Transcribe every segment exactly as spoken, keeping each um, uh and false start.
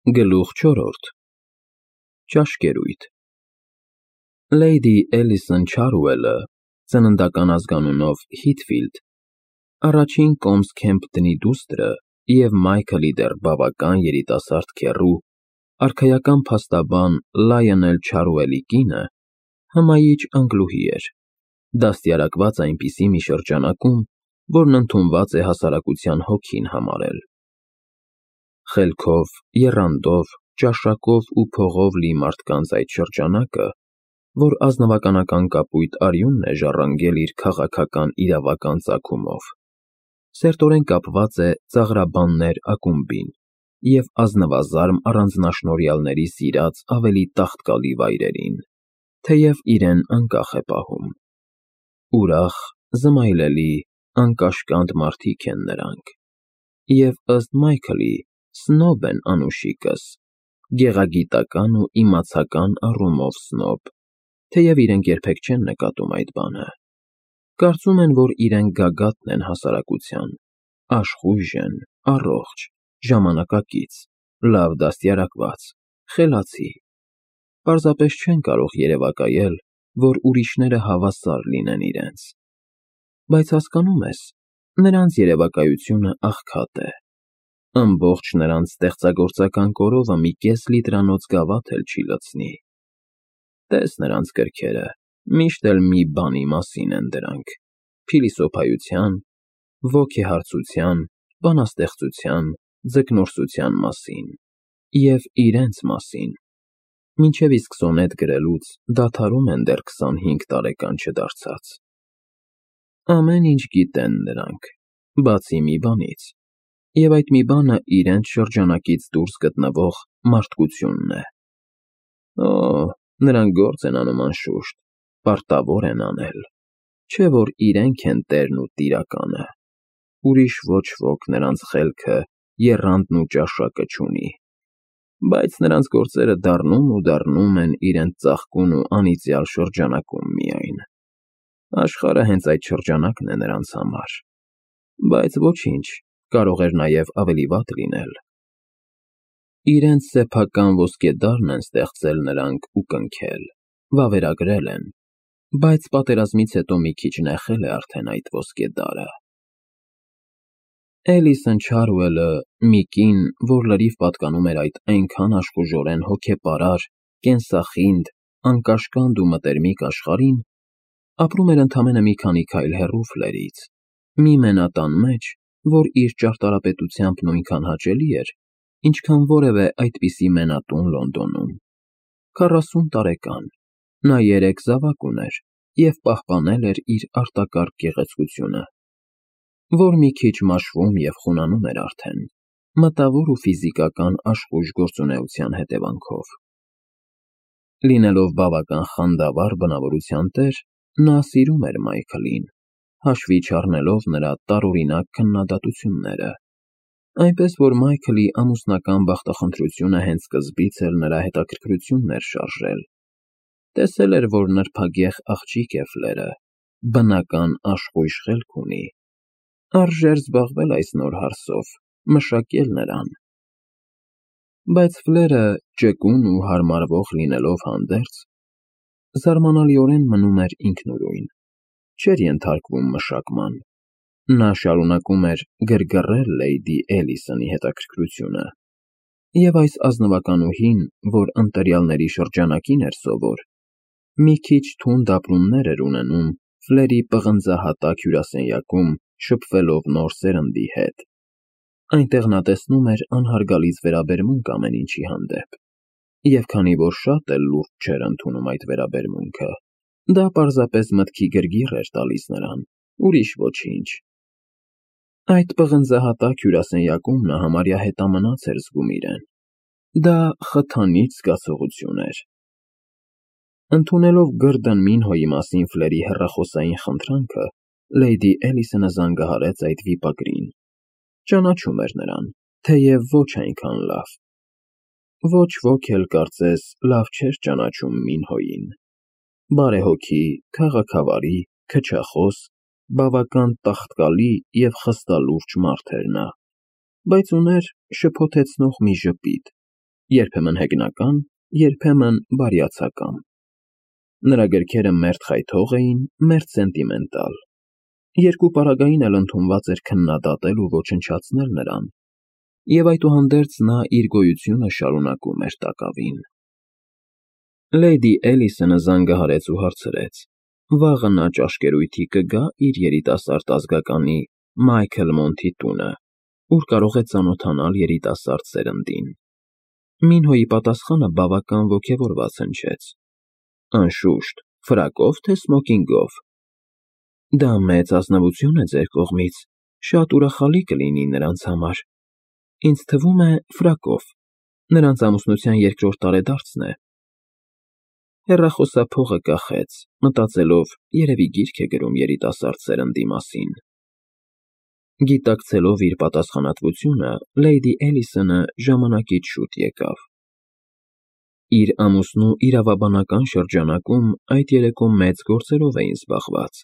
Գլուխ չորրորդ Ճաշկերույթ Լեյդի Էլիսոն Չարուելը, ծննդական ազգանունով Հիթֆիլդ, առաջին կոմս Քեմփթոնի դուստրը և Մայքլի դեռ բավական երիտասարդ քեռու, արքայական փաստաբան Լայոնել Չարուելի կինը, հմայիչ անգլուհի էր, դաստիարակված այնպիսի մի շրջանակում, որն ընդունված է հասարակության հոգին համարել։ Խելքով, եռանդով, ճաշակով ու փողով լի մարդկանց այդ շրջանակը, որ ազնվականական կապույտ արյունն է ժառանգել իր քաղաքական իրավական ծագումով, սերտորեն կապված է ծաղրաբաններ ակումբին և ազնվազարմ առանձնաշնորհյալների սիրած ավելի տաղտկալի վայրերին, թեև իրեն անկախ է պահում։ Ուրախ, զմայլելի, անկաշկանդ մարդիկ են նրանք, և, ըստ Մայքլի, սնոբ են անուշիկս, գեղագիտական ու իմացական առումով սնոբ, թեև իրենք երբեք չեն նկատում այդ բանը։ Կարծում են, որ իրենք գագաթն են հասարակության, աշխույժ են, առողջ, ժամանակակից, լավ դաստիարակված, խելացի, պարզապես չեն կարող երևակայել, որ ուրիշները հավասար լինեն իրենց։ Բայց հասկանո՞ւմ ես, նրանց երևակայությունը աղքատ է, ամբողջ նրանց ստեղծագործական կորովը մի կես լիտրանոց գավաթ էլ չի լցնի։ Տես նրանց գրքերը, միշտ էլ մի բանի մասին են դրանք՝ փիլիսոփայության, ոգեհարցության, բանաստեղծության, ձկնորսության մասին և իրենց մասին, մինչև իսկ սոնետ գրելուց դադարում են դեռ քսանհինգ տարեկան չդարձած։ Ամեն ինչ գիտեն նրանք, բացի մի բանից, և այդ մի բանը իրենց շրջանակից դուրս գտնվող մարդկությունն է։ Օ, նրանք գործ են անում անշուշտ, պարտավոր են անել, չէ՞ որ իրենք են տերն ու տիրականը, ուրիշ ոչ ոք նրանց խելքը, եռանդն ու ճաշակը չունի, բայց նրանց գործերը դառնում ու դառնում են իրենց ծաղկուն ու անիծյալ շրջանակում միայն։ Աշխարհը հենց այդ շրջանակն է նրանց համար, բայց ոչինչ, կարող էր նաև ավելի վատ լինել։ Իրենց սեփական ոսկեդարն են ստեղծել նրանք ու կնքել, վավերագրել են, բայց պատերազմից հետո մի քիչ նեխել է արդեն այդ ոսկեդարը։ Էլիսոն Չարուելը, մի կին, որ լրիվ պատկանում էր այդ այնքան աշխուժորեն հոգեպարար, կենսախինդ, անկաշկանդ ու մտերմիկ աշխարհին, ապրում էր ընդամենը մի քանի քայլ հեռու Ֆլերից, մի մենատան մեջ, որ իր ճարտարապետությամբ նույնքան հաճելի էր, ինչքան որևէ այդպիսի մենատուն Լոնդոնում։ Քառասուն տարեկան, նա երեք զավակ ուներ և պահպանել էր իր արտակարգ գեղեցկությունը, որ մի քիչ մաշվում և խունանում էր արդեն, մտավոր ու ֆիզիկական աշխույժ գործունեության հետևանքով։ Լինելով բավական խանդավառ բնավորության տեր, նա սիրում էր Մայքլին, հաշվի չառնելով նրա տարօրինակ քննադատությունները, այնպես որ Մայքլի ամուսնական բախտախնդրությունը հենց սկզբից էլ նրա հետաքրքրությունն էր շարժել։ Տեսել էր, որ նրբագեղ աղջիկ է Ֆլերը, բնական աշխույժ խելք ունի, արժեր զբաղվել այս նոր հարսով, մշակել նրան։ Բայց Ֆլերը, ճկուն ու հարմարվող լինելով հանդերձ, զարմանալիորեն մնում էր ինքնուրույն, չէր ենթարկվում մշակման։ Նա շարունակում էր գրգռել Լեյդի Էլիսոնի հետաքրքրությունը, և այս ազնվականուհին, որ ընտրյալների շրջանակին էր սովոր, մի քիչ թունդ ապրումներ էր ունենում Ֆլերի պղնձահատակ հյուրասենյակում շփվելով նոր սերնդի հետ։ Այնտեղ նա տեսնում էր անհարգալից վերաբերմունք ամեն ինչի հանդեպ, և քանի որ շատ էլ լուրջ չէր ընդունում այդ վերաբերմունքը, դա պարզապես մտքի գրգիռ էր տալիս նրան, ուրիշ ոչինչ։ Այդ պղնձահատակ հյուրասենյակում նա համարյա հետամնաց էր զգում իրեն։ Դա խթանիչ զգացողություն էր։ Ընդունելով Գըրդոն Մինհոյի մասին Ֆլերի հեռախոսային խնդրանքը, Լեյդի Էլիսոնը զանգահարեց այդ վիպագրին։ Ճանաչում էր նրան, թեև ոչ այնքան լավ։ Ոչ ոք էլ, կարծես, լավ չէր ճանաչում Մինհոյին։ Բարեհոգի, քաղաքավարի, քչախոս, բավական տաղտկալի և խստալուրջ մարդ էր նա, բայց ուներ շփոթեցնող մի ժպիտ, երբեմն հեգնական, երբեմն բարյացակամ։ Նրա գրքերը մերթ խայթող էին, մերթ սենտիմենտալ։ Երկու պարագային էլ ընդունված էր քննադատել ու ոչնչացնել նրան, և այդուհանդերձ նա իր գոյությունը շարունակում էր տակավին։ Լեյդի Էլիսոնը զանգահարեց ու հարցրեց. վաղը նա ճաշկերույթի կգա իր երիտասարդ ազգականի Մայքլ Մոնթի տունը, ուր կարող է ծանոթանալ երիտասարդ սերնդին։ Մինհոյի պատասխանը բավական ոգևորված հնչեց. Անշուշտ, ֆրակով թե սմոքինգով։ Դա մեծ ազնվություն է ձեր կողմից, շատ ուրախալի կլինի նրանց համար։ Ինձ թվում է ֆրակով, նրանց ամուսնության երկրորդ տարեդարձն է։ Հեռախոսափողը կախեց, մտածելով, երևի գիրք է գրում երիտասարդ սերնդի մասին։ Գիտակցելով իր պատասխանատվությունը, Լեյդի Էլիսոնը ժամանակից շուտ եկավ։ Իր ամուսնու իրավաբանական շրջանակում այդ երեկո մեծ գործերով էին զբաղված,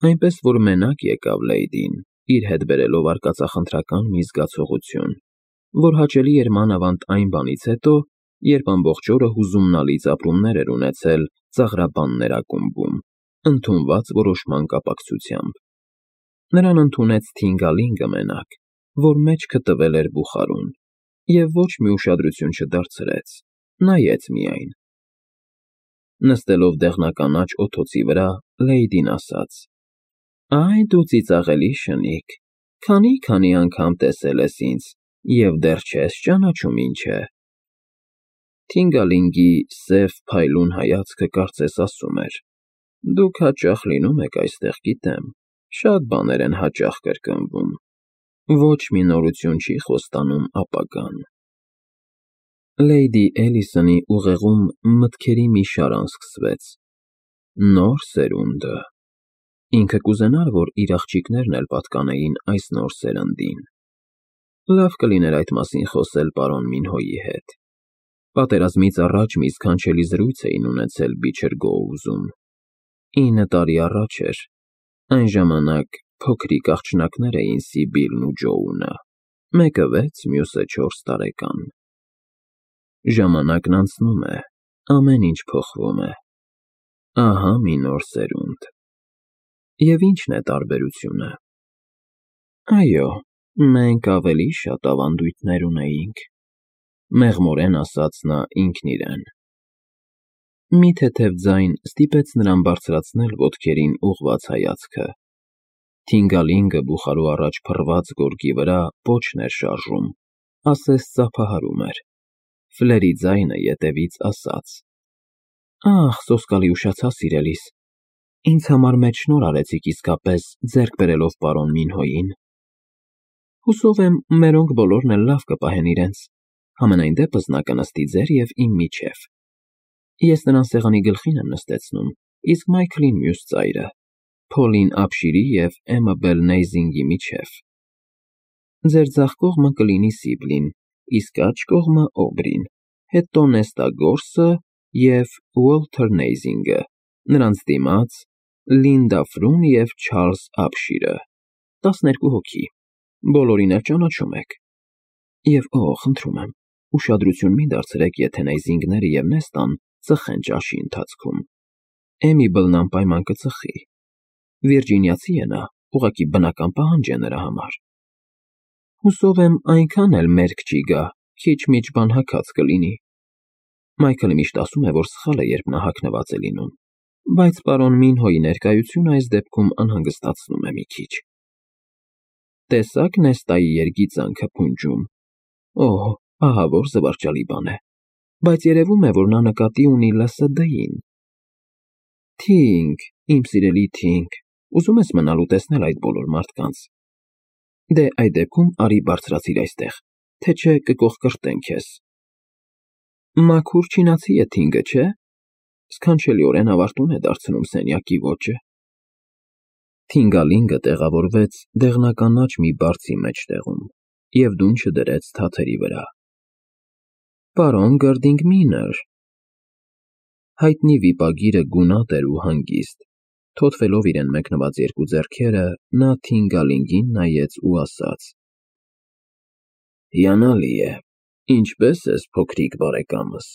այնպես որ մենակ եկավ Լեյդին, իր հետ բերելով արկածախնդրական մի զգացողություն, որ հաճելի էր մանավանդ այն բանից հետո, երբ ամբողջ օրը հուզումնալից ապրումներ էր ունեցել ծաղրաբաններ ակումբում, ընդունված որոշման կապակցությամբ։ Նրան ընդունեց Թինգալինգը մենակ, որ մեջքը տվել էր բուխարուն, և ոչ մի ուշադրություն չդարձրեց, նայեց միայն։ Նստելով դեղնականաչ օթոցի վրա, Լեյդին ասաց. Այ դու ծիծաղելի շնիկ, քանի՜֊քանի անգամ տեսել ես ինձ և դեռ չես ճանաչում ինչ է։ Թինգալինգի սև փայլուն հայացքը կարծես ասում էր. դուք հաճախ լինում եք այստեղ, գիտեմ, շատ բաներ են հաճախ կրկնվում, ոչ մի նորություն չի խոստանում ապագան։ Լեյդի Էլիսոնի ուղեղում մտքերի մի շարան սկսվեց. նոր սերունդը։ Ինքը կուզենար, որ իր աղջիկներն էլ պատկանեին այս նոր սերնդին։ Լավ կլիներ այդ մասին խոսել պարոն Մինհոյի հետ։ Պատերազմից առաջ մի սքանչելի զրույց էին ունեցել Բիչր Գոուզում։ Ինը տարի առաջ էր, այն ժամանակ փոքրիկ աղջնակներ էին Սիբիլն ու Ջոունը, մեկը վեց, մյուսը չորս տարեկան։ Ժամանակն անցնում է, ամեն ինչ փոխվում է։ Ահա մի նոր սերունդ։ Եվ ի՞նչն է տարբերությունը։ Այո, մենք ավելի շատ ավանդույթներ ունեինք, մեղմորեն ասաց նա ինքն իրեն։ Մի թեթև ձայն ստիպեց նրան բարձրացնել ոտքերին ուղղված հայացքը։ Թինգալինգը բուխարու առաջ փռված գորգի վրա պոչն էր շարժում, ասես ծափահարում էր։ Ֆլերի ձայնը ետևից ասաց. Ախ, սոսկալի ուշացա, սիրելիս, ինձ համար մեծ շնորհ արեցիք իսկապես ձեռք բերելով պարոն Մինհոյին։ Հուսով եմ, մերոնք բոլորն էլ լավ կպահեն իրենց, համենայն դեպս նա կնստի ձեր և իմ միջև։ Ես նրան սեղանի գլխին եմ նստեցնում, իսկ Մայքլին մյուս ծայրը, Փոլին Ափշիրի և Էմմա Բելնեյզինգի միջև։ Ձեր ձախ կողմը կլինի Սիբլին, իսկ աջ կողմը Օբրին, հետո Նեստա Գորսը և Ուոլթեր Նեյզինգը, նրանց դիմաց Լինդա Ֆրուն և Չարլզ Ափշիրը, տասներկու հոգի, բոլորին էլ ճանաչում եք։ Եվ օ, խնդրում եմ, ուշադրություն մի դարձրեք, եթե Նեյզինգները և Նեստան ծխեն ճաշի ընթացքում։ Էմիբլն անպայման կծխի։ Վիրջինիացի է նա, ուղղակի բնական պահանջ է նրա համար։ Հուսով եմ այնքան էլ մերկ չի գա, քիչ-միչ բան հագած կլինի։ Մայքլը միշտ ասում է, որ սխալ է, երբ նա հագնված է լինում, բայց պարոն Մինհոյի ներկայությունը այս դեպքում անհանգստացնում է մի քիչ։ Տեսա՞ք Նեստայի երգիծանքը փունջում։ Օհ, ահա որ զվարճալի բան է, բայց երևում է, որ նա նկատի ունի Լսը Դեին։ Թինգ, իմ սիրելի Թինգ, ուզում ես մնալ ու տեսնել այդ բոլոր մարդկանց։ Դե այդ դեպքում արի բարձրացիր այստեղ, թե չէ կկոխկրտեն քեզ։ Մաքուր չինացի է Թինգը, չէ՞։ Սքանչելիորեն ավարտուն է դարձնում սենյակի ոճը։ Թինգալինգը տեղավորվեց դեղնականաչ մի բարձի մեջտեղում և դունչը դրեց թաթերի վրա։ Պարոն Գըրդինգմինը։ Հայտնի վիպագիրը գունատ էր ու հանգիստ, թոթվելով իրեն մեկնված երկու ձեռքերը, նա Թինգալինգին նայեց ու ասաց. Հիանալի է, Ինչպե՞ս ես, փոքրիկ բարեկամս։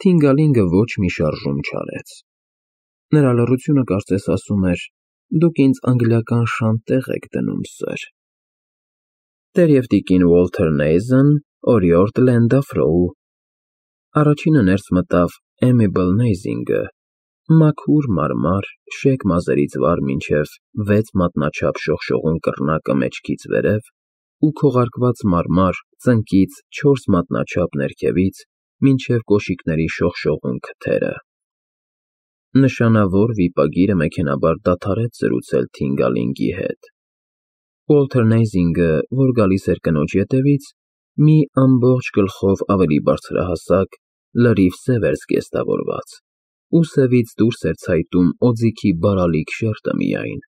Թինգալինգը ոչ մի շարժում չարեց։ Նրա լռությունը կարծես ասում էր. դուք ինձ անգլիական շան տեղ եք դնում, սըր։ Տեր և տիկին Ուոլթեր Նեյզեն, օրիորդ Լենդաֆրոու։ Առաջինը ներս մտավ Էմիբլ Նեյզինգը, մաքուր մարմար, շեկ մազերից վար մինչև վեց մատնաչափ շողշողուն կռնակը մեջքից վերև ու քողարկված մարմար ծնկից չորս մատնաչափ ներքևից մինչև կոշիկների շողշողուն քթերը։ Նշանավոր վիպագիրը մեքենայաբար դադարեց զրուցել Թինգալինգի հետ։ Ուոլթեր Նեյզինգը, որ գալիս էր կնոջ ետևից, մի ամբողջ գլխով ավելի բարձրահասակ, լրիվ սև էր զգեստավորված, ուսևից դուրս էր ցայտում օձիքի բարալիկ շերտը միայն,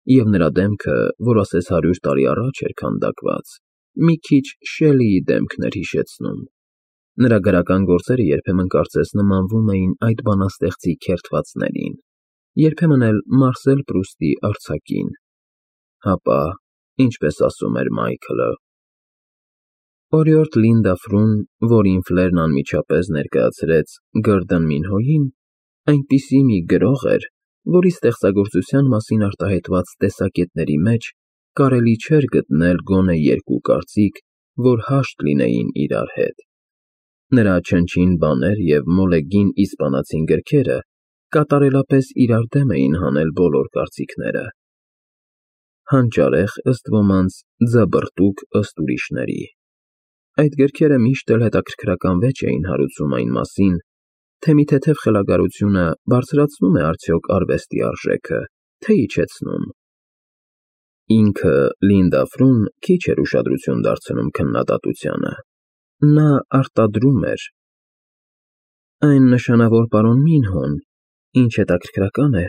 և նրա դեմքը, որ ասես հարյուր տարի առաջ էր քանդակված, մի քիչ Շելլիի դեմքն էր հիշեցնում։ Նրա գրական գործերը երբեմն կարծես նմանվում էին այդ բանաստեղծի քերթվածներին, երբեմն էլ Մարսել Պրուստի արձակին, հապա, ինչպես ասում էր Մայքլը։ Օրիորդ Լինդաֆրուն, որին Ֆլերն անմիջապես ներկայացրեց Գըրդն Մինհոյին, այնպիսի մի գրող էր, որի ստեղծագործության մասին արտահայտված տեսակետների մեջ կարելի չէր գտնել գոնե երկու կարծիք, որ հաշտ լինեին իրար հետ։ Նրա չնչին բաներ և մոլեգին իսպանացին գրքերը կատարելապես իրար դեմ էին հանել բոլոր կարծիքները։ Հանճարեղ, ըստ ոմանց, ձաբրտուկ, ըստ ուրիշների։ Այդ գրքերը միշտ էլ հետաքրքրական վեճ էին հարուցում այն մասին, թե մի թեթև խելագարությունը բարձրացնո՞ւմ է արդյոք արվեստի արժեքը, թե իջեցնում։ Ինքը Լինդաֆրուն քիչ էր ուշադրություն դարձնում քննադատությանը։ Նա արտադրում էր. Այն նշանավոր պարոն Մինհոն, ինչ հետաքրքրական է,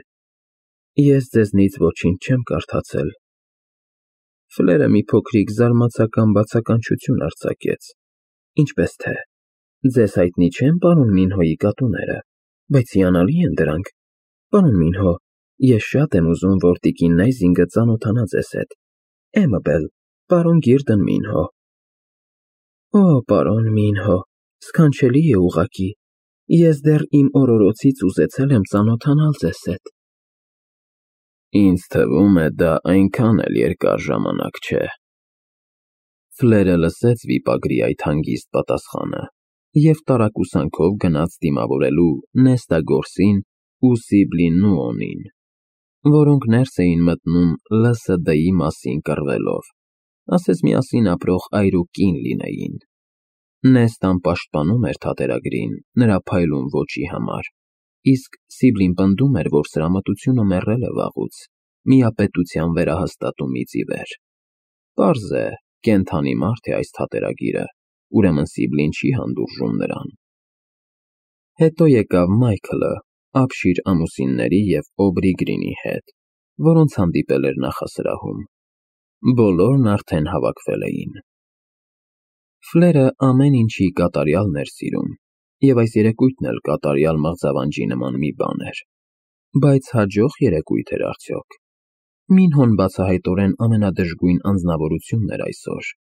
ես ձեզնից ոչինչ չեմ կարդացել։ Ֆլերը մի փոքրիկ զարմացական բացականչություն արձակեց, ինչպես թե. ձեզ հայտնի չեն պարոն Մինհոյի կատուները, բայց հիանալի են դրանք, պարոն Մինհո, ես շատ եմ ուզում, որ տիկին Նեյզինգը ծանոթանա ձեզ հետ, Էմաբել, պարոն Գիրդն Մինհո։ Օ, պարոն Մինհո, սքանչելի է ուղղակի, ես դեռ իմ օրորոցից ուզեցել եմ ծանոթանալ ձեզ հետ։ Ինձ թվում է, դա այնքան էլ երկար ժամանակ չէ։ Ֆլերը լսեց վիպագրի այդ հանգիստ պատասխանը և տարակուսանքով գնաց դիմավորելու Նեստա Գորսին ու Սիբլին Նուոնին, որոնք ներս էին մտնում Լ Ս Դ-ի մասին կռվելով, ասես միասին ապրող այր ու կին լինեին։ Նեստան պաշտպանում էր թատերագրին նրա փայլուն ոճի համար, իսկ Սիբլին պնդում էր, որ սրամտությունը մեռել է վաղուց, միապետության վերահաստատումից ի վեր։ Պարզ է, կենդանի մարդ է այս թատերագիրը, ուրեմն Սիբլին չի հանդուրժում նրան։ Հետո եկավ Մայքլը, ապշիր ամուսինների և Օբրի Գրինի հետ, որոնց հանդիպել էր նախասրահում։ Բոլորն արդեն հավաքվել էին։ Ֆլերը ամեն ինչի կատարյալն էր սիրում, և այս երեկույթն էլ կատարյալ մղձավանջի նման մի բան էր։ Բայց հաջող երեկույթ էր արդյոք։ Մինհոն բացահայտորեն ամենադժգույն անձնավորությունն էր այսօր։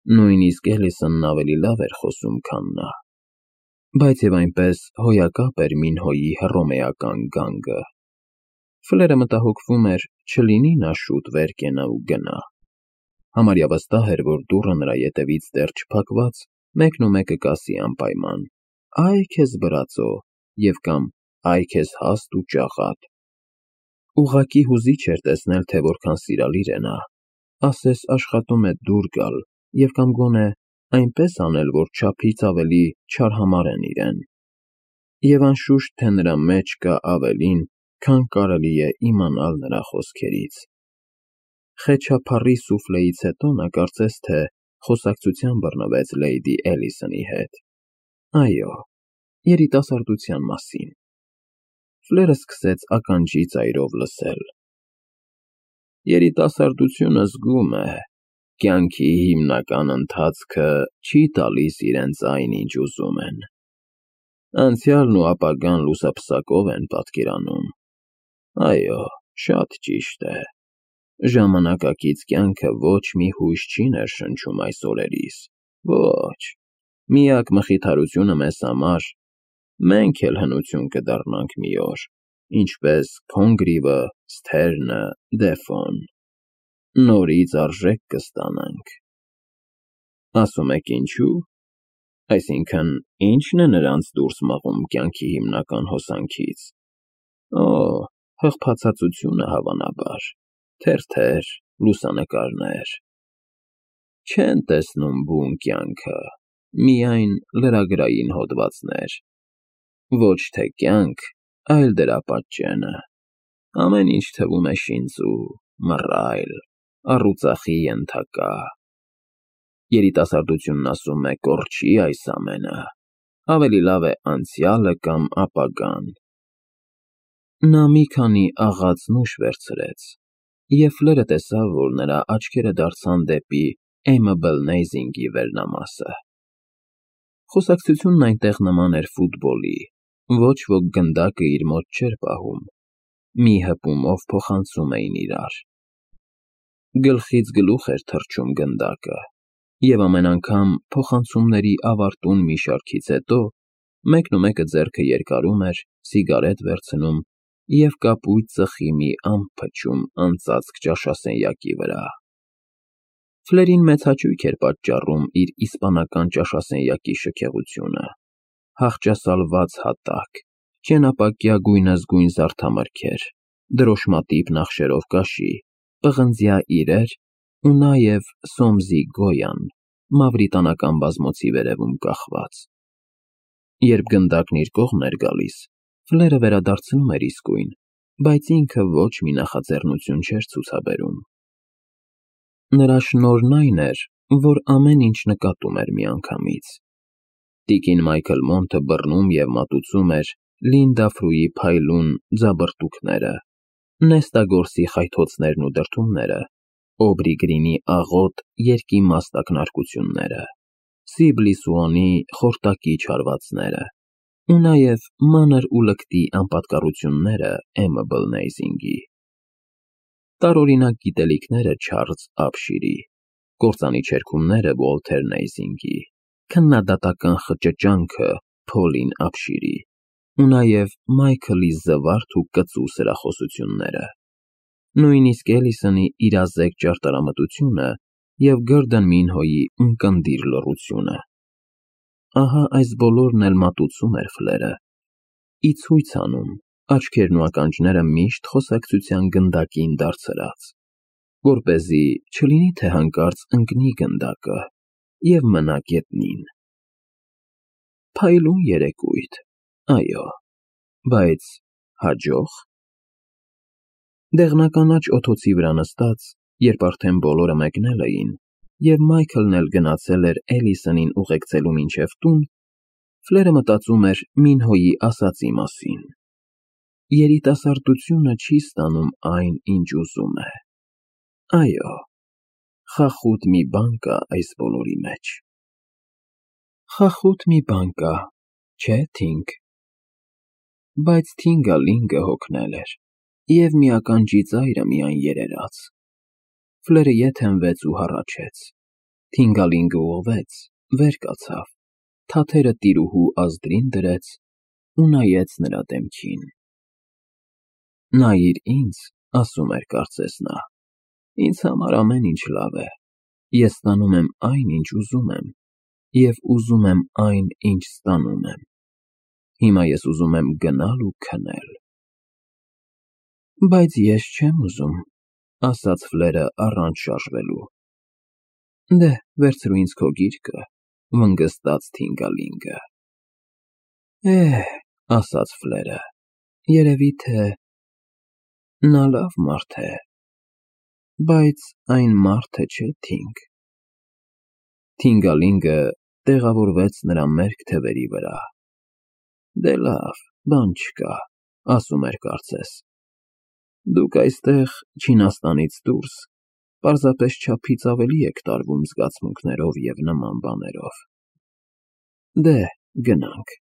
Նույնիսկ Էլիսոնն ավելի լավ էր խոսում, քան նա։ Բայց և այնպես հոյակապ էր Մինհոյի հռոմեական գանգը։ Ֆլերը մտահոգվում էր, չլինի նա շուտ վեր կենա ու գնա։ Համարյա վստահ էր, որ դուռը նրա ետևից դեռ չփակված, մեկնումեկը կասի անպայման. «Այ քեզ բրածո» և կամ «Այ քեզ հաստ ու ճաղատ»։ Ուղղակի հուզիչ էր տեսնել, թե որքան սիրալիր է նա, ասես աշխատում է դուր գալ և կամ գոնե այնպես անել, որ չափից ավելի չարհամարեն իրեն։ Եվ անշուշտ, թե նրա մեջ կա ավելին, քան կարելի է իմանալ նրա խոսքերից։ Խեչափառի սուֆլեից հետո նա կարծես թե խոսակցության բռնվեց Լեյդի Էլիսոնի հետ։ Այո, երիտասարդության մասին։ Ֆլերը սկսեց ականջի ծայրով լսել։ Երիտասարդությունը զգում է, կյանքի հիմնական ընթացքը չի տալիս իրենց այն, ինչ ուզում են։ Անցյալն ու ապագան լուսափսակով են պատկերանում։ Այո, շատ ճիշտ է։ Ժամանակակից կյանքը ոչ մի հույս չի ներշնչում այս օրերիս։ Ոչ, միակ մխիթարությունը մեզ համար, մենք էլ հնություն կդառնանք մի օր, ինչպես Քոնգրիվը, Սթերնը, Դեֆոն, նորից արժեք կստանանք։ Ասում եք ինչու՞։ Այսինքն, ի՞նչն է նրանց դուրս մղում կյանքի հիմնական հոսանքից։ Օ, հղփացածությունը հավանաբար, թերթեր, լուսանկարներ։ Չեն տեսնում բուն կյանքը, միայն լրագրային հոդվածներ։ Ոչ թե կյանք, այլ դրա պատճենը։ Ամեն ինչ թվում է շինծու, մռայլ, առուծախի ենթակա։ Երիտասարդությունն ասում է կորչի այս ամենը, ավելի լավ է անցյալը կամ ապագան։ Նա մի քանի աղաց-նուշ վերցրեց, և Ֆլերը տեսավ, որ նրա աչքերը դարձան դեպի Էմմա վերնամասը։ Խոսակցությունն այնտեղ նման էր ֆուտբոլի, ոչ ոք գնդակը իր մոտ չէր պահում, մի հպումով փոխանցում էին իրար։ Գլխից գլուխ էր թռչում գնդակը, և ամեն անգամ փոխանցումների ավարտուն մի շարքից հետո մեկնումեկը ձեռքը երկարում էր, սիգարետ վերցնում և կապույտ ծխի մի ամպ փչում անծածկ ճաշասենյակի վրա։ Ֆլերին մեծ հաճույք էր պատճառում իր իսպանական ճաշասենյակի շքեղությունը, հախճասալված հատակ, ճենապակյա գույնզգույն զարդամրգեր, դրոշմատիպ նախշերով կաշի, պղնձյա իրեր ու նաև Սոմսի Գոյան, մավրիտանական բազմոցի վերևում կախված։ Երբ գնդակն իր կողմն էր գալիս, Ֆլերը վերադարձնում էր իսկույն, բայց ինքը ոչ մի նախաձեռնություն չէր ցուցաբերում։ Նրա շնորհն այն էր, որ ամեն ինչ նկատում էր միանգամից։ Տիկին Մայքլ Մոնթը բռնում և մատուցում էր Լինդա Ֆրուի փայլուն ձաբրտուքները, Նեստագորսի խայթոցներն ու դրդումները, Օբրի Գրինի աղոտ երկի մասնակնարկությունները, Սիբլի Սուոնի խորտակի չարվածները ու նաև մանր ու լկտի անպատկառությունները Էմմա Բլնեյզինգի։ Տարօրինակ գիտելիքները Չարլզ Ափշիրի, կործանի չերքումները Ուոլթեր Նեյզինգի, քննադատական խճճանքը Փոլին Ափշիրի ու նաև Մայքլի զվարթ ու կծու սրախոսությունները, նույնիսկ Էլիսոնի իրազեկ ճարտարամտությունը և Գորդոն Մինհոյի ունկնդիր լռությունը։ Ահա այս բոլորն էլ մատուցում էր Ֆլերը, ի ցույց անում, աչքերն ու ականջները միշտ խոսակցության գնդակին դարձրած, որպեսզի չլինի թե հանկարծ ընկնի գնդակը և մնա գետնին։ Փայլուն երեկույթ, այո, բայց հաջող՞։ Դեղնականաչ օդոցի վրա նստած, երբ արդեն բոլորը մեկնել էին, և Մայքլն էլ գնացել էր Էլիսոնին ուղեկցելու մինչև տուն, Ֆլերը մտածում էր Մինհոյի ասածի մասին. երիտասարդությունը չի ստանում այն, ինչ ուզում է։ Այո, խախուտ մի բան կա այս բոլորի մեջ։ Խախուտ մի բան կա, չէ՞, Թինգ։ Բայց Թինգալինգը հոգնել էր, և մի ականջի ծայրը միայն երերաց։ Ֆլերը ետ հենվեց ու հառաչեց։ Թինգալինգը ուղղվեց, վեր կացավ, թաթերը տիրուհու ազդրին դրեց ու նայեց նրա դեմքին։ Նայիր ինձ, ասում էր կարծես նա, ինձ համար ամեն ինչ լավ է, ես ստանում եմ այն, ինչ ուզում եմ, և ուզում եմ այն, ինչ ստանում եմ։ Հիմա ես ուզում եմ գնալ ու քնել։ Բայց ես չեմ ուզում, ասաց Ֆլերը առանց շարժվելու։ Դե, վերցրու ինձ քո գիրկը, վնգստաց Թինգալինգը։ Էհ, ասաց Ֆլերը, երևի թե… նա լավ մարդ է, բայց այն մարդը չէ, Թինգ։ Թինգալինգը տեղավորվեց նրա մերկ թևերի վրա։ Դե լավ, բան չկա, ասում էր կարծես։ Դուք այստեղ, Չինաստանից դուրս, պարզապես չափից ավելի եք տարվում զգացմունքներով և նման բաներով։ Դե, գնանք։